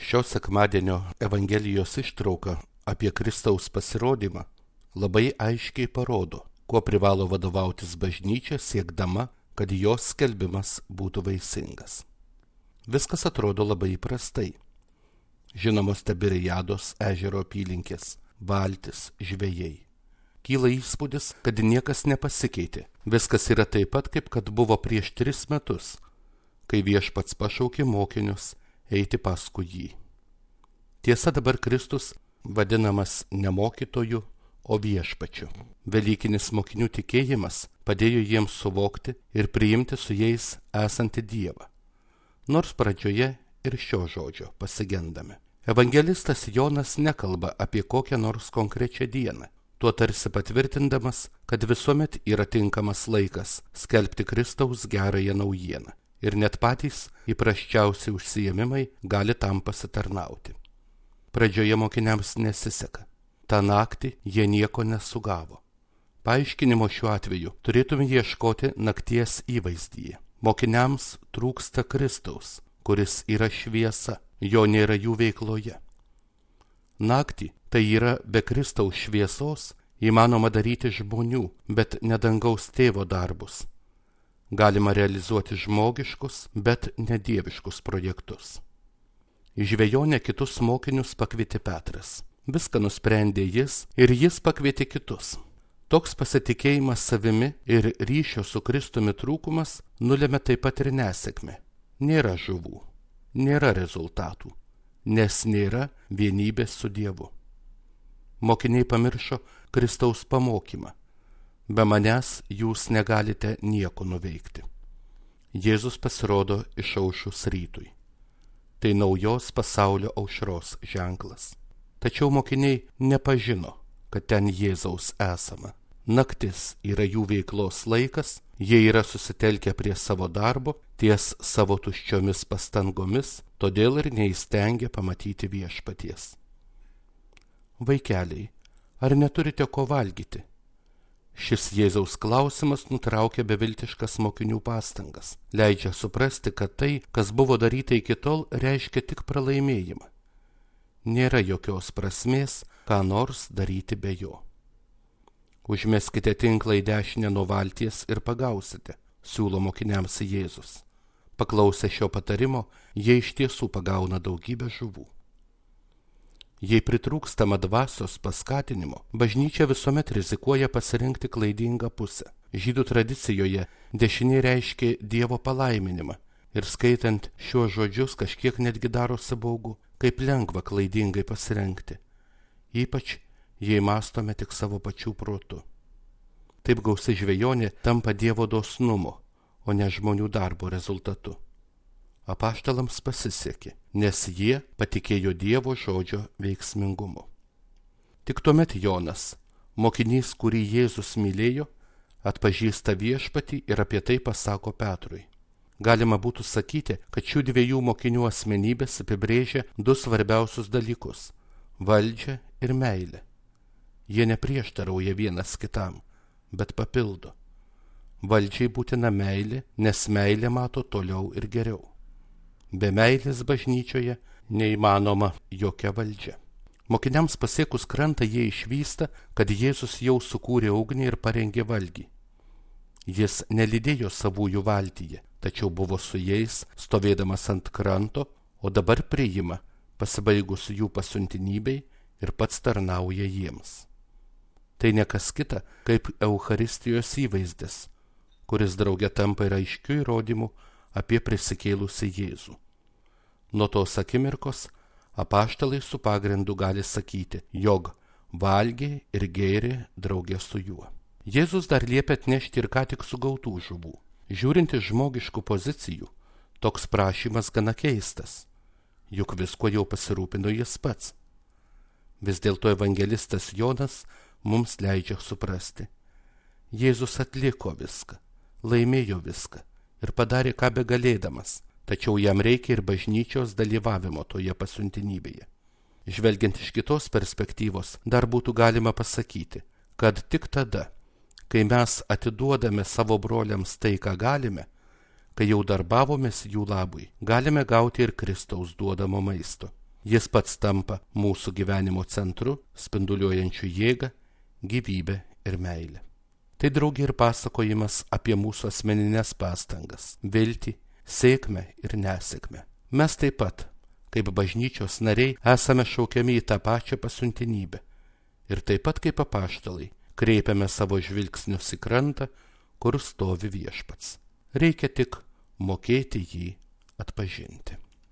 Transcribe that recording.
Šio sekmadienio Evangelijos ištrauka apie Kristaus pasirodymą labai aiškiai parodo, kuo privalo vadovautis bažnyčia siekdama, kad jos skelbimas būtų vaisingas. Viskas atrodo labai įprastai. Žinomos Tiberiados ežero apylinkės, valtis, žvejai. Kyla įspūdis, kad niekas nepasikeitė. Viskas yra taip pat, kaip kad buvo prieš 3 metus, kai Viešpats pašaukė mokinius eiti paskui jį. Tiesa, dabar Kristus vadinamas ne mokytoju, o viešpačiu. Velykinis mokinių tikėjimas padėjo jiems suvokti ir priimti su jais esantį Dievą. Nors pradžioje ir šio žodžio pasigendame. Evangelistas Jonas nekalba apie kokią nors konkrečią dieną, tuo tarsi patvirtindamas, kad visuomet yra tinkamas laikas skelbti Kristaus gerąją naujieną. Ir net patys įprasčiausi užsiėmimai gali tam pasitarnauti. Pradžioje mokiniams nesiseka. Ta naktį jie nieko nesugavo. Paaiškinimo šiuo atveju turėtume ieškoti nakties įvaizdyje. Mokiniams trūksta Kristaus, kuris yra šviesa, jo nėra jų veikloje. Naktį, tai yra be Kristaus šviesos, įmanoma daryti žmonių, bet ne dangaus tėvo darbus. Galima realizuoti žmogiškus, bet nedieviškus projektus. Į žvejonę kitus mokinius pakvietė Petras. Viską nusprendė jis ir jis pakvietė kitus. Toks pasitikėjimas savimi ir ryšio su Kristumi trūkumas nulėmė taip pat ir nesėkmę. Nėra žuvų, nėra rezultatų, nes nėra vienybės su Dievu. Mokiniai pamiršo Kristaus pamokymą. Be manęs jūs negalite nieko nuveikti. Jėzus pasirodo išaušus rytui. Tai naujos pasaulio aušros ženklas. Tačiau mokiniai nepažino, kad ten Jėzaus esama. Naktis yra jų veiklos laikas, jie yra susitelkę prie savo darbo, ties savo tuščiomis pastangomis, todėl ir neįstengia pamatyti viešpaties. Vaikeliai, ar neturite ko valgyti? Šis Jėzaus klausimas nutraukia beviltiškas mokinių pastangas, leidžia suprasti, kad tai, kas buvo daryta iki tol, reiškia tik pralaimėjimą. Nėra jokios prasmės, ką nors daryti be jo. Užmeskite tinklą į dešinę nuo valties ir pagausite, siūlo mokiniams Jėzus. Paklausę šio patarimo, jie iš tiesų pagauna daugybę žuvų. Jei pritrūkstama dvasios paskatinimo, bažnyčia visuomet rizikuoja pasirinkti klaidingą pusę. Žydų tradicijoje dešinė reiškia Dievo palaiminimą ir skaitant šiuos žodžius kažkiek netgi darosi baugu, kaip lengva klaidingai pasirinkti, ypač jei mąstome tik savo pačių protu. Taip gausi žvejonė tampa Dievo dosnumo, o ne žmonių darbo rezultatu. Apaštalams pasisekė, nes jie patikėjo Dievo žodžio veiksmingumu. Tik tuomet Jonas, mokinys, kurį Jėzus mylėjo, atpažįsta viešpatį ir apie tai pasako Petrui. Galima būtų sakyti, kad šių dviejų mokinių asmenybės apibrėžia 2 svarbiausius dalykus – valdžią ir meilę. Jie neprieštarauja vienas kitam, bet papildo. Valdžiai būtina meilė, nes meilė mato toliau ir geriau. Be meilės bažnyčioje neįmanoma jokia valdžia. Mokiniams pasiekus krantą jie išvysta, kad Jėzus jau sukūrė ugnį ir parengė valgį. Jis nelydėjo savųjų valtyje, tačiau buvo su jais, stovėdamas ant kranto, o dabar priima, pasibaigus jų pasiuntinybei ir pats tarnauja jiems. Tai ne kas kita, kaip Eucharistijos įvaizdis, kuris drauge tampa ir aiškiu įrodymu apie prisikėlusį Jėzų. Nuo tos akimirkos apaštalai su pagrindu gali sakyti, jog valgė ir gėrė drauge su juo. Jėzus dar liepia atnešti ir ką tik sugautų žuvų. Žiūrint iš žmogiškų pozicijų, toks prašymas gana keistas, juk visko jau pasirūpino jis pats. Vis dėlto evangelistas Jonas mums leidžia suprasti. Jėzus atliko viską, laimėjo viską ir padarė ką begalėdamas, tačiau jam reikia ir bažnyčios dalyvavimo toje pasiuntinybėje. Žvelgiant iš kitos perspektyvos, dar būtų galima pasakyti, kad tik tada, kai mes atiduodame savo broliams tai, ką galime, kai jau darbavomės jų labui, galime gauti ir Kristaus duodamo maisto. Jis pats tampa mūsų gyvenimo centru, spinduliuojančiu jėgą, gyvybę ir meilę. Tai draugė ir pasakojimas apie mūsų asmeninės pastangas, viltį, sėkmę ir nesėkmę. Mes taip pat, kaip bažnyčios nariai, esame šaukiami į tą pačią pasiuntinybę. Ir taip pat kaip apaštalai, kreipiame savo žvilgsnius į krantą, kur stovi Viešpats. Reikia tik mokėti jį atpažinti.